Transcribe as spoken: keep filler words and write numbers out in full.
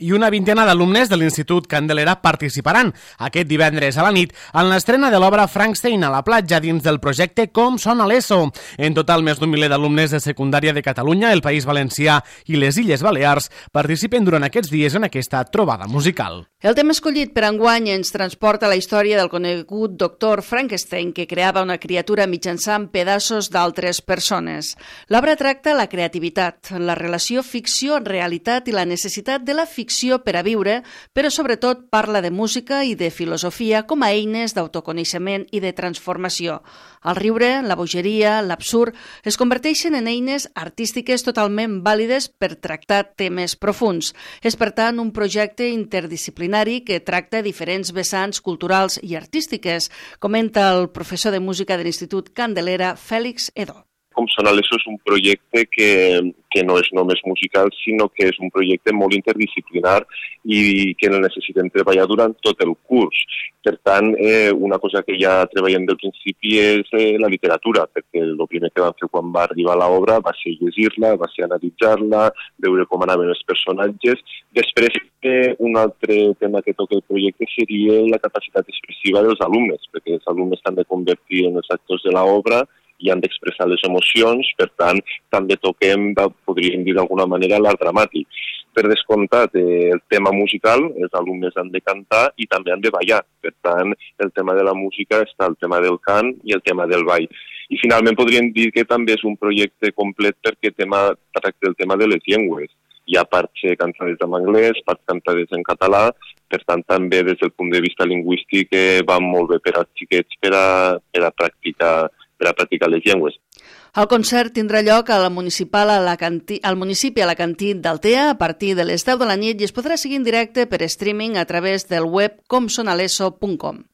i una vintena d'alumnes de l'Institut Candelera participaran aquest divendres a la nit en l'estrena de l'obra Frankenstein a la platja dins del projecte Com sona l'ESO. En total, més d'un miler d'alumnes de secundària de Catalunya, el País Valencià i les Illes Balears participen durant aquests dies en aquesta trobada musical. El tema escollit per enguany ens transporta a la història del conegut doctor Frankenstein, que creava una criatura mitjançant pedaços d'altres persones. L'obra tracta la creativitat, la relació ficció-realitat i la necessitat de la ficció per a viure, però sobretot parla de música i de filosofia com a eines d'autoconeixement i de transformació. El riure, la bogeria, l'absurd es converteixen en eines artístiques totalment vàlides per tractar temes profuns. És, per tant, un projecte interdisciplinari que tracta diferents vessants culturals i artístiques, comenta el professor de música de l'Institut Candelera, Fèlix Edó. Com sona l'ESO és un projecte que, que no és només musical, sinó que és un projecte molt interdisciplinar i que el necessitem treballar durant tot el curs. Per tant, eh, una cosa que ja treballem del principi és eh, la literatura, perquè el primer que vam fer quan va arribar l'obra va ser llegir-la, va ser analitzar-la, veure com anaven els personatges. Després, eh, un altre tema que toca el projecte seria la capacitat expressiva dels alumnes, perquè els alumnes s'han de convertir en els actors de l'obra i han d'expressar les emocions, per tant, també toquem, podríem dir d'alguna manera, l'art dramàtic. Per descomptat, eh, el tema musical, els alumnes han de cantar i també han de ballar. Per tant, el tema de la música està el tema del cant i el tema del ball. I finalment podríem dir que també és un projecte complet perquè tema, tracta el tema de les llengües. Hi ha parts cantades en anglès, parts cantades en català, per tant també des del punt de vista lingüístic eh, va molt bé per als xiquets per a, per a practicar per a practicar les llengües. El concert tindrà lloc al municipal a la Cantí, al municipi Alacantí d'Altea a partir de les deu de la nit i es podrà seguir en directe per streaming a través del web com sona leso punt com.